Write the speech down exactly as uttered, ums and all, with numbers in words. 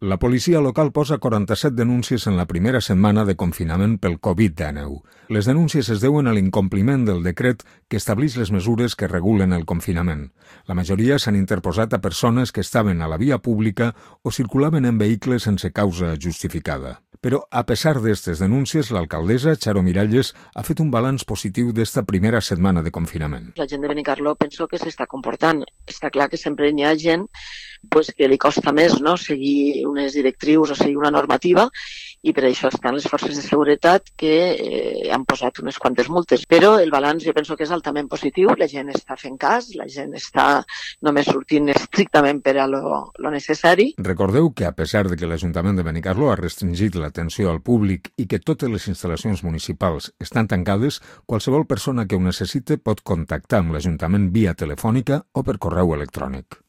La policia local posa quaranta-set denúncies en la primera setmana de confinament pel covid dinou. Les denúncies es deuen a l'incompliment del decret que estableix les mesures que regulen el confinament. La majoria s'han interposat a persones que estaven a la via pública o circulaven en vehicles sense causa justificada. Però, a pesar d'aquestes denúncies, l'alcaldessa, Charo Miralles, ha fet un balanç positiu d'esta primera setmana de confinament. La gent de Benicarló penso que s'està comportant. Està clar que sempre n'hi ha gent pues, que li costa més, no?, seguir unes directrius o seguir una normativa, i per això estan les forces de seguretat que eh, han posat unes quantes multes. Però el balanç jo penso que és altament positiu, la gent està fent cas, la gent està només sortint estrictament per a lo, lo necessari. Recordeu que a pesar de que l'Ajuntament de Benicarló ha restringit l'atenció al públic i que totes les instal·lacions municipals estan tancades, qualsevol persona que ho necessite pot contactar amb l'Ajuntament via telefònica o per correu electrònic.